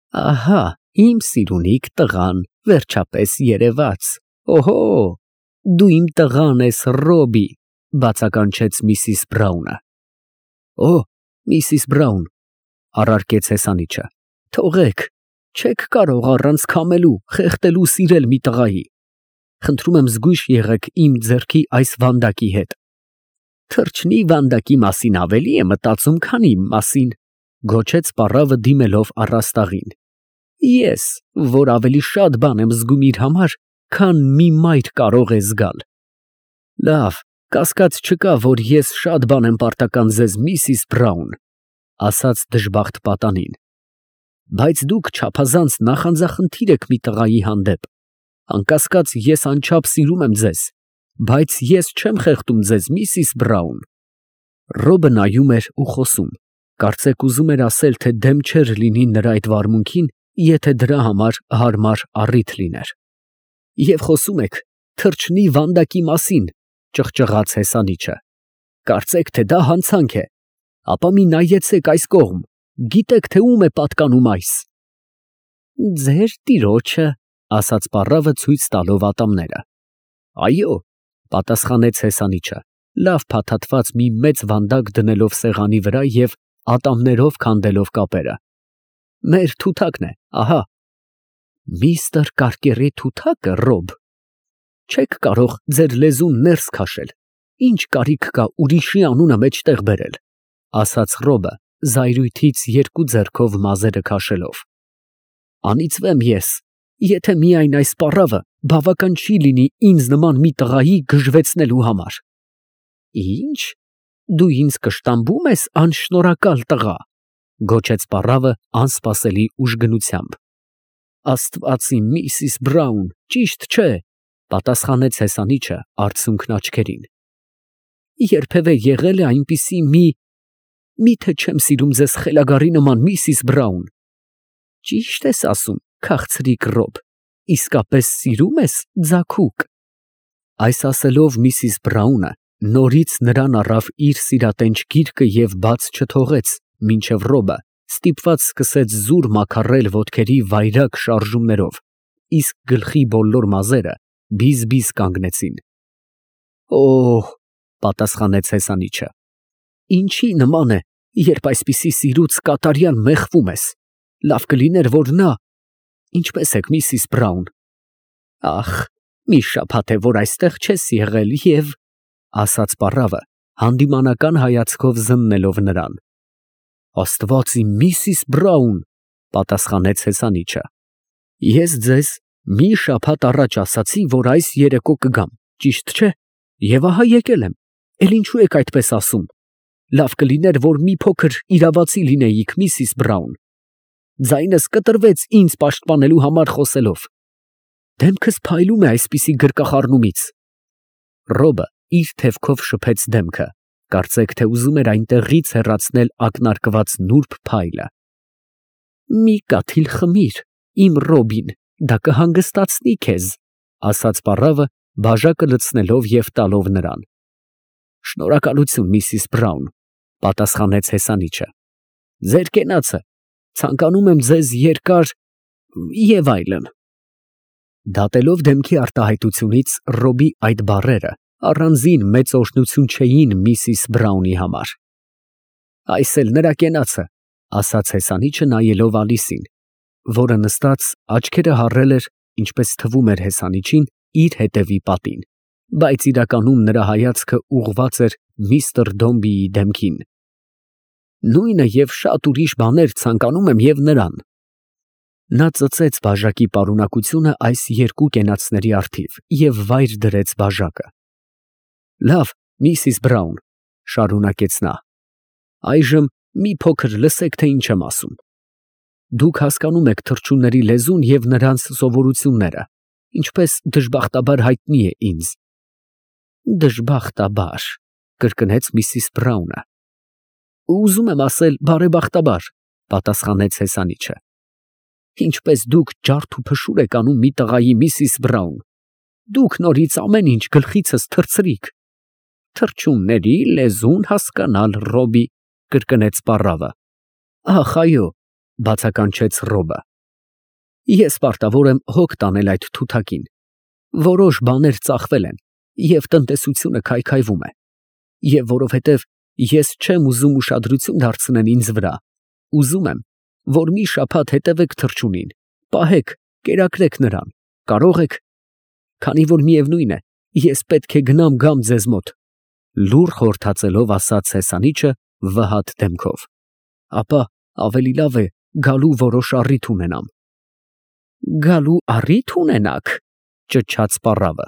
Ահա, իմ սիրունիք տղան, վերջապես երևաց։ Օհո, դու իմ տղան ես, Ռոբի, բացականչեց միսիս Բրաունը։ Օ, միսիս Բրաուն, առարկեց հեսանիչը, թողեք, չեք կարող առանց քամելու, խեղդելու սիրել մի տղայի։ Խնդրում եմ զգույշ եղեք իմ ձեռքի այս վանդակի հետ։ Թրջնի վանդակի մասին ավելի է մտածում, քան իմ մասին, գոչեց պառավը դիմելով առաստաղին։ Ես, որ ավելի շատ բան եմ զգում իր համար, քան մի մայր կարող է զգալ։ Լավ, կասկած չկա, որ ես շատ բան եմ պարտական ձեզ, միսիս Բրաուն, ասաց դժբախտ պատանին։ Բայց դուք չափազանց նախանձախնդիր եք մի տղայի հանդեպ։ Անկասկած ես անչափ սիրում եմ ձեզ, բայց ես չեմ խեղդում ձեզ, միսիս Բրաուն։ Ռոբը նայում էր ու խոսում, կարծեք ուզում էր ասել, թե դեմ չէր լինի նրա այդ վարմունքին, եթե դրա համար հարմար առիթ լիներ։ Եվ խոսում եք թրջնի վանդակի մասին, ճղճղաց հեսանիչը։ Կարծեք, թե դա հանցանք է, ապա մի նայեցեք այս կողմ, գիտեք, թե ում է պատկանում այս։ Ձեր տիրոջը, ասաց պառավը ցույց տալով ատամները։ Այո, պատասխանեց հեսանիչը, լավ փաթաթված մի մեծ վանդակ դնելով սեղանի վրա և ատամներով քանդելով կապերը։ Մեր թութակն է, ահա։ Միստր Կարկերի թութակը, Ռոբ։ Չեք կարող ձեր լեզուն ներս քաշել, ինչ կարիք կա ուրիշի անունը մեջտեղ բերել, ասաց Ռոբը, զայրույթից երկու ձեռքով մազերը քաշելով։ Անիծվեմ ես, եթե միայն այս պառավը բավական չի լինի ինձ նման մի տղայի գժվեցնելու համար։ Ինչ, դու ինձ կշտամբում ես, անշնորհակալ տղա, գոչեց պառավը անսպասելի ուժգնությամբ։ Աստված իմ, միսիս Բրաուն, ճիշտ չէ, պատասխանեց հեսանիչը արցունքն աչքերին։ Երբևէ եղել է այնպիսի միթե չեմ սիրում ձեզ խելագարի նման, միսիս Բրաուն։ Ճիշտ ես ասում, քաղցրիկ Ռոբ, իսկապես սիրում ես ձագուկ։ Այս ասելով միսիս Բրաունը նորից նրան առավ իր սիրատենչ գիրկը և բաց չթողեց, մինչև Ռոբը ստիպված սկսեց զուր մաքարել ոտքերի վայրագ շարժումներով, իսկ գլխի բոլոր մազերը բիզ կանգնեցին։ Օհ, պատասխանեց հեսանիչը, ինչի նման է, երբ այսպիսի սիրուց կատարյալ մեղվում ես, լավ կլիներ, որ նա… Ինչպե՞ս եք, միսիս Բրաուն։ Ախ, մի շաբաթ է, որ այստեղ չես եղել և… ասաց պառավը, հանդիմանական հայացքով զննելով նրան։ Աստված իմ, միսիս Բրաուն, պատասխանեց հեսանիչը, ես ձեզ մի շաբաթ առաջ ասացի, որ այս երեկո կգամ, ճիշտ չէ, և ահա եկել եմ, էլ ինչու եք այդպես ասում։ Լավ կլիներ, որ մի փոքր իրավացի լինեիք, միսիս Բրաուն։ Ձայնս կտրվեց ինձ պաշտպանելու համար խոսելով։ Դեմքս փայլում է այսպիսի գրկախառնումից։ Ռոբը իր թևքով շփեց դեմքը, կարծեք թե ուզում էր այնտեղից հեռացնել ակնարկված նուրբ փայլը։ Մի կաթիլ խմիր, իմ Ռոբին, դա կհանգստացնի քեզ, ասաց պառավը, բաժակը լցնելով և տալով նրան։ Շնորհակալություն, միսիս Բրաուն, պատասխանեց հեսանիչը։ Ձեր կենացը, ցանկանում եմ ձեզ երկար… և այլն։ Դատելով դեմքի արտահայտությունից Ռոբի այդ բառերը առանձին մեծ օրհնություն չէին միսիս Բրաունի համար։ Այս էլ նրա կենացը, ասաց հեսանիչը նայելով Ալիսին, որը նստած աչքերը հառել էր, ինչպես թվում էր հեսանիչին, իր հետևի պատին, բայց իրականում նրա հայացքը ուղղված էր միստր Դոմբիի դեմքին։ Նույնը և շատ ուրիշ բաներ ցանկանում եմ և նրան։ Նա ծծեց բաժակի պարունակությունը այս երկու կենացների առթիվ և վայր դրեց բաժակը։ Լավ, միսիս Բրաուն, շարունակեց նա, այժմ մի փոքր լսեք, թե ինչ եմ ասում։ Դուք հասկանում եք թռչունների լեզուն և նրանց սովորությունները, ինչպես դժբախտաբար հայտնի է ինձ։ Դժբախտաբար, կրկնեց միսիս Բրաունը։ Ուզում եմ ասել բարեբախտաբար, պատասխանեց հեսանիչը։ Ինչպես դուք ջարդ ու փշուր եք անում մի տղայի, միսիս Բրաուն, դուք նորից ամեն ինչ գլխիցս թռցրիք։ Թռչունների լեզուն հասկանալ, Ռոբի, կրկնեց պառավը։ Ախ, այո, բացականչեց Ռոբը։ Ես պարտավոր եմ հոգ տանել այդ թութակին։ Որոշ բաներ ծախվել են, և տնտեսությունը քայքայվում է։ Եվ որովհետև ես չեմ ուզում ուշադրություն դարձնել ինձ վրա, ուզում եմ, որ մի շաբաթ հետևեք թռչունին, պահեք, կերակրեք նրան, կարող եք, քանի որ միևնույն է, ես պետք է գնամ գամ ձեզ մոտ, լուռ խորհրդածելով ասաց հեսանիչը վհատ դեմքով, ապա ավելի լավ է գալու որոշ առիթ ունենամ։ Գալու առիթ ունենաք, ճչաց պառավը։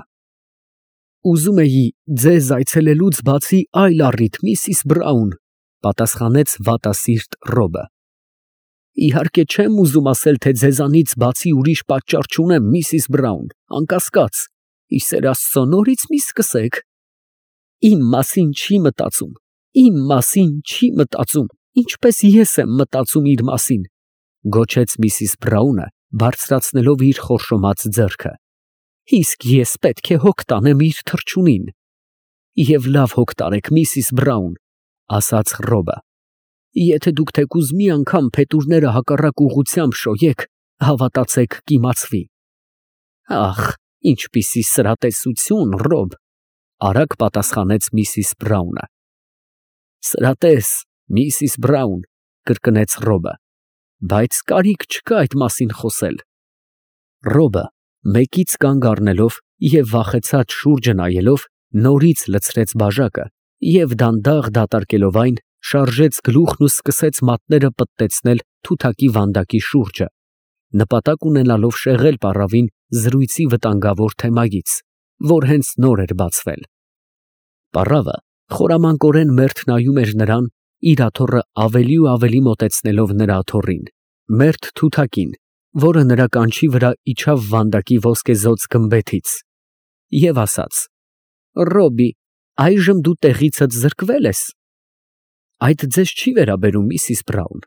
Ուզում էի ձեզ այցելելուց բացի այլ առիթ, միսիս Բրաուն, պատասխանեց վատասիրտ Ռոբը։ Իհարկե չեմ ուզում ասել, թե ձեզանից բացի ուրիշ պատճառ չունեմ, միսիս Բրաուն, անկասկած, ի սեր Աստծո նորից մի սկսեք։ Իմ մասին չի մտածում, իմ մասին չի մտածում, ինչպես ես եմ մտածում իր մասին, գոչեց միսիս Բրաունը, բարձրացնելով իր խորշոմած ձեռքը։ Իսկ ես պետք է հոգ տանեմ իր թռչունին։ Եվ լավ հոգ տարեք, միսիս Բրաուն, ասաց Ռոբը։ Եթե դուք թեկուզ մի անգամ փետուրները հակառակ ուղղությամբ շոյեք, հավատացեք կիմացվի։ Ախ, ինչպիսի սրատեսություն, Ռոբ, արագ պատասխանեց միսիս Բրաունը։ Սրատես, միսիս Բրաուն, կրկնեց Ռոբը, բայց կարիք չկա այդ մասին խոսել։ Ռոբը մեկից կանգ առնելով և վախեցած շուրջը նայելով, նորից լցրեց բաժակը և դանդաղ դատարկելով այն, շարժեց գլուխն ու սկսեց մատները պտտեցնել թութակի վանդակի շուրջը, նպատակ ունենալով շեղել պառավին զրույցի վտանգավոր թեմայից, որ հենց նոր էր բացվել։ Պառավը խորամանկորեն մերթ նայում էր նրան, իր աթոռը ավելի ու ավելի մոտեցնելով նրա աթոռին, մերթ թութակին, որը նրա կանչի վրա իջավ վանդակի ոսկեզօծ գմբեթից, և ասաց. Ռոբի, այժմ դու տեղիցդ զրկվել ես։ Այդ ձեզ չի վերաբերում, միսիս Բրաուն,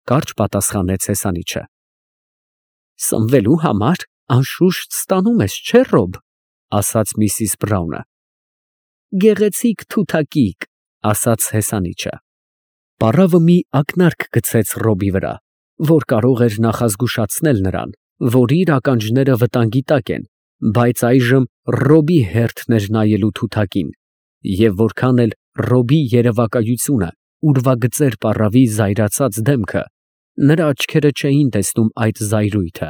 կարճ պատասխանեց հեսանիչը։ Սնվելու համար անշուշտ ստանում ես, չէ՞, Ռոբ, ասաց միսիս Բրաունը։ Գեղեցիկ թութակիկ, ասաց հեսանիչը։ Պառավը մի ակնարկ գցեց Ռոբի վրա, որ կարող էր նախազգուշացնել նրան, որ իր ականջները վտանգի տակ են, բայց այժմ Ռոբի հերթն էր նայելու թութակին, և որքան էլ Ռոբի երևակայությունը ուրվագծեր պառավի զայրացած դեմքը, նրա աչքերը չէին տեսնում այդ զայրույթը։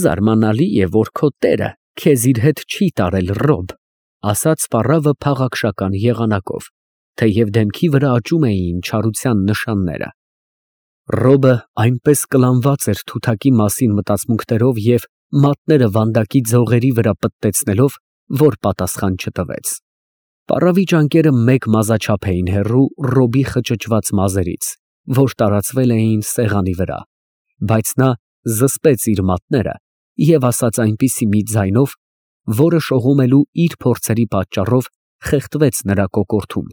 Զարմանալի է, որ քո տերը քեզ իր հետ չի տարել, Ռոբ, ասաց պառավը փաղաքշական եղանակով, թեև դեմքի վրա աճում էին չարության նշանները։ Ռոբը այնպես կլանված էր թութակի մասին մտածմունքներով և մատները վանդակի ձողերի վրա պտտեցնելով, որ պատասխան չտվեց։ Պառավի ճանկերը մեկ մազաչափ էին հեռու Ռոբի խճճված մազերից, որ տարածվել էին սեղանի վրա, բայց նա զսպեց իր մատները և ասաց այնպիսի մի ձայնով, որը շողոմելու իր փորձերի պատճառով խեղդվեց նրա կոկորդում.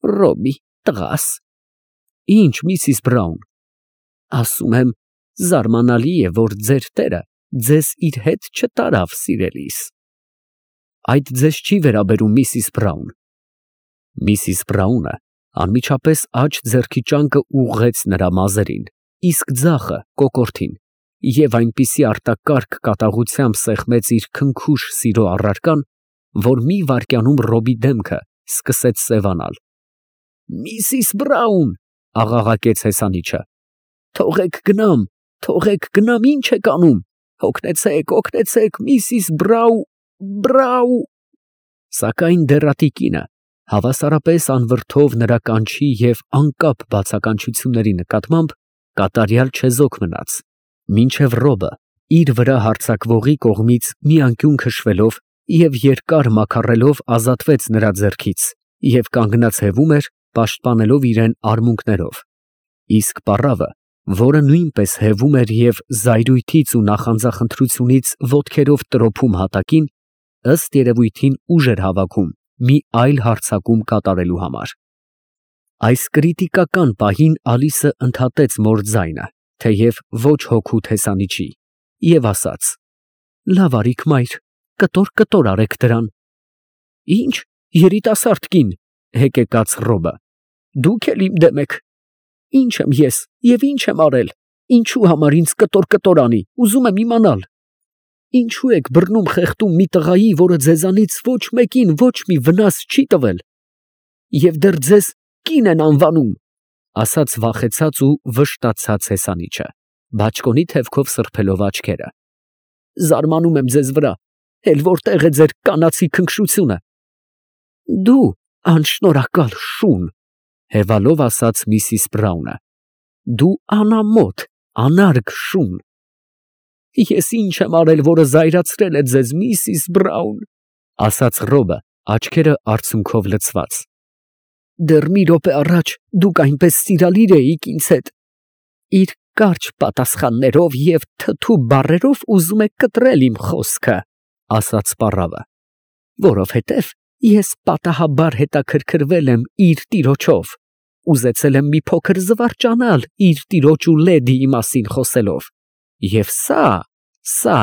Ռոբի, տղաս։ Ինչ, միսիս Բրաուն։ Ասում եմ, զարմանալի է, որ ձեր տերը ձեզ իր հետ չտարավ, սիրելիս։ Այդ ձեզ չի վերաբերում, միսիս Բրաուն։ Միսիս Բրաունը անմիջապես աջ ձեռքի ճանկը ուղղեց նրա մազերին, իսկ ձախը կոկորդին, և այնպիսի արտակարգ կատաղությամբ սեղմեց իր քնքուշ սիրո առարկան, որ մի վայրկյանում Ռոբի դեմքը սկսեց սևանալ։ Միսիս Բրաուն, աղաղակեց հեսանիչը, թողեք գնամ, ինչ եք անում, օգնեցեք, միսիս Բրաու։ Սակայն դեռատի կինը հավասարապես անվրդով նրա կանչի և անկապ բացականչությունների նկատմամբ կատարյալ չեզոք մնաց, մինչև Ռոբը իր վրա հարձակվողի կողմից մի անկյուն քշվելով և երկար մաքառելով ազատվեց նրա ձեռքից և կանգնած հևում էր, պաշտպանելով իրեն արմունկներով, իսկ պառավը, որը նույնպես հևում էր և զայրույթից ու նախանձախնդրությունից ոտքերով տրոփում հատակին, ըստ երևույթին ուժ էր հավաքում մի այլ հարձակում կատարելու համար։ Այս կրիտիկական պահին Ալիսը ընդհատեց մոր ձայնը, թեև ոչ հոգուտ հեսանիչի, և ասաց. Լավ արիք, մայր, կտոր արեք դրան։ Ինչ, երիտասարդ կին, հեկեկաց Ռոբը, դուք էլ իմ դեմ եք։ Ինչ եմ ես և ինչ եմ արել, Ինչու համար ինձ կտոր անի, ուզում եմ իմանալ։ Ինչու եք բռնում խեղդում մի տղայի, որը ձեզանից ոչ մեկին ոչ մի վնաս չի տվել, և դեռ ձեզ կին են անվանում, ասաց վախեցած ու վշտացած հեսանիչը, բաճկոնի թևքով սրբելով աչքերը։ Զարմանում եմ ձեզ վրա, էլ որտեղ է ձեր կանացի քնքշությունը։ Դու անշնորհակալ շուն, հևալով ասաց Միսիս Բրաունը, դու անամոթ, անարգ շուն։ Ես ինչ եմ արել, որը զայրացրել է ձեզ, Միսիս Բրաուն, ասաց Ռոբը, աչքերը արցունքով լցված։ Դեռ մի րոպե առաջ դուք այնպես սիրալիր էիք ինձ հետ։ Իր կարճ պատասխաններով և թթու բառերով ուզում եք կտրել իմ խոսքը, ասաց պառավը, որովհետև ես պատահաբար հետաքրքրվել եմ իր տիրոջով, ուզեցել եմ մի փոքր զվարճանալ իր տիրոջ ու լեդիի մասին խոսելով, և սա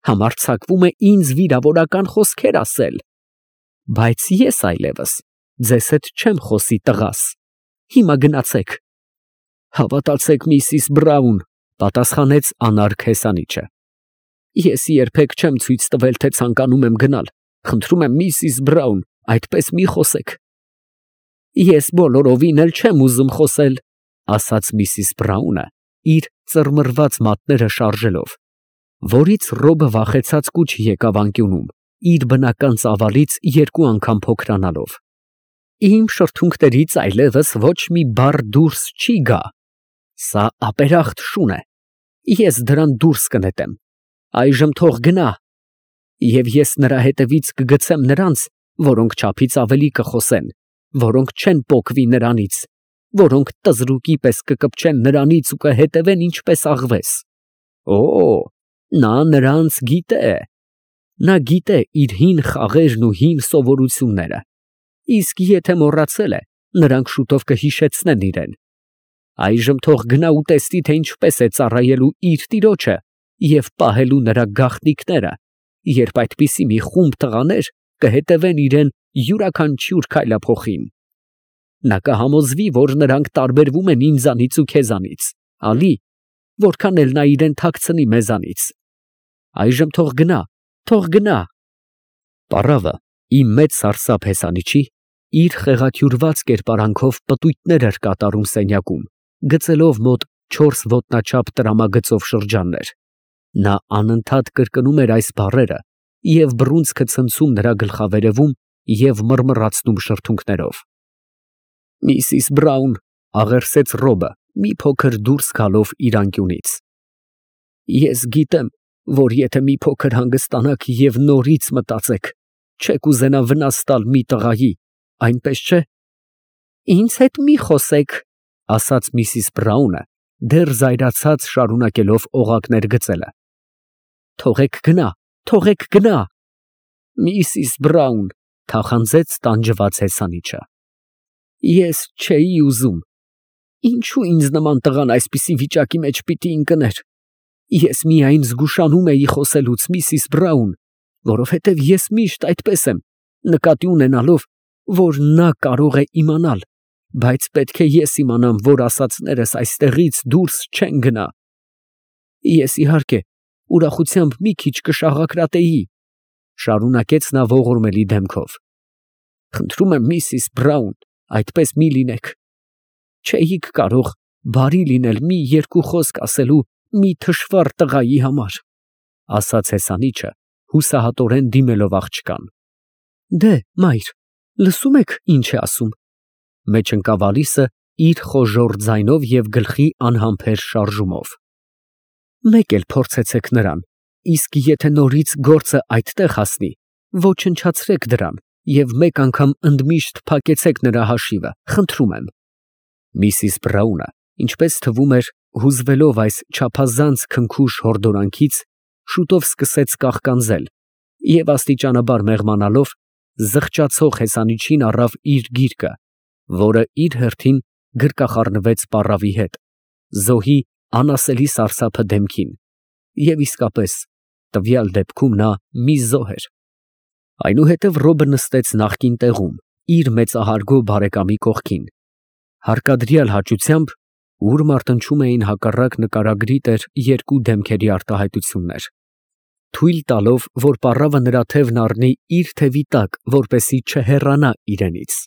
համարձակվում է ինձ վիրավորական խոսքեր ասել, բայց ես այլևս ձեզ հետ չեմ խոսի, տղաս, հիմա գնացեք։ Հավատացեք, Միսիս Բրաուն, պատասխանեց անարգ հեսանիչը, ես երբեք չեմ ցույց տվել, թե ցանկանում եմ գնալ, խնդրում եմ, Միսիս Բրաուն, այդպես մի խոսեք։ Ես բոլորովին էլ չեմ ուզում խոսել, ասաց Միսիս Բրաունը, իր ծռմռված մատները շարժելով, որից Ռոբը վախեցած կուչ եկավ անկյունում, իր բնական ծավալից 2 անգամ փոքրանալով։ Իմ շրթունքներից այլևս ոչ մի բառ դուրս չի գա։ Սա ապերախտ շուն է։ Ես դրան դուրս կնետեմ։ Այժմ թող գնա։ Եվ ես նրա հետևից կգցեմ նրանց, որոնք չափից ավելի կխոսեն, որոնք չեն պոկվի նրանից, որոնք տզրուկի պես կկպչեն նրանից ու կհետևեն ինչպես աղվես։ Օ, նա նրանց գիտե։ Նա գիտե իր հին խաղերն ու հին սովորությունները։ Իսկ եթե մոռացել է, նրանք շուտով կհիշեցնեն իրեն։ Այժմ թող գնա ու տեսնի, թե ինչպես է ծառայելու իր տիրոջը և պահելու նրա գաղտնիքները, երբ այդպիսի մի խումբ տղաներ կհետևեն իրեն յուրաքանչյուր քայլափոխին։ Նա կհամոզվի, որ նրանք տարբերվում են ինձանից ու քեզանից, ալի, որքան էլ նա իրեն թաքցնի մեզանից։ Այժմ թող գնա։ Պառավը, իմ մեծ սարսափ հեսանիչի, իր խեղաթյուրված կերպարանքով պտույտներ էր կատարում սենյակում, գծելով մոտ 4 ոտնաչափ տրամագծով շրջաններ։ Նա անընդհատ կրկնում էր այս բառերը և բռունցքը ցնցում նրա գլխավերևում և մռմռացնում շրթունքներով։ Միսիս Բրաուն, աղերսեց Ռոբը, մի փոքր դուրս գալով իր անկյունից։ Ես գիտեմ, որ եթե մի փոքր հանգստանաք և նորից մտածեք, չեք ուզենա վնաս տալ մի տղայի, այնպես չէ։ Ինձ հետ մի խոսեք, ասաց Միսիս Բրաունը, դեռ զայրացած շարունակելով օղակներ գծելը։ Թողեք գնա։ Միսիս Բրաուն, թախանձեց տանջված հեսանիչը։ Ես չէի ուզում։ Ինչու ինձ նման տղան այսպիսի վիճակի մեջ պիտի ընկներ։ Ես միայն զգուշանում էի խոսելուց, Միսիս Բրաուն, որովհետև ես միշտ այդպես եմ, նկատի ունենալով, որ նա կարող է իմանալ, բայց պետք է ես իմանամ, որ ասածներս այստեղից դուրս չեն գնա։ Ես իհարկե ուրախությամբ մի քիչ կշաղակրատեի, շարունակեց նա ողորմելի դեմքով։ Խնդրում եմ, Միսիս Բրաուն, այդպես մի լինեք։ Չէիք կարող բարի լինել մի երկու խոսք ասելու մի թշվառ տղայի համար, ասաց հեսանիչը, հուսահատորեն դիմելով աղջկան։ Դե, մայր, լսում եք ինչ է ասում։ Մեջ ընկավ Ալիսը իր խոժոռ ձայնով և գլխի անհամբեր շարժումով։ Մեկ էլ փորձեցեք նրան, իսկ եթե նորից գործը այդտեղ հասնի, ոչնչացրեք դրան և մեկ անգամ ընդմիշտ փակեցեք նրա հաշիվը, խնդրում եմ։ Միսիս Բրաունը, ինչպես թվում էր, հուզվելով այս չափազանց քնքուշ հորդորանքից, շուտով սկսեց կաղկանձել և աստիճանաբար մեղմանալով, զղջացող հեսանիչին առավ իր գիրկը, որը իր հերթին գրկախառնվեց պառավի հետ, զոհի անասելի սարսափը դեմքին, և իսկապես, տվյալ դեպքում նա մի զոհ էր։ Այնուհետև Ռոբը նստեց նախկին տեղում, իր մեծահարգո բարեկամի կողքին, հարկադրյալ հաճությամբ ուր մարտնչում էին հակառակ նկարագրի տեր երկու դեմքերի արտահայտություններ, թույլ տալով, որ պառավը նրա թևն առնի իր թևի տակ, որպեսզի չհեռանա իրենից։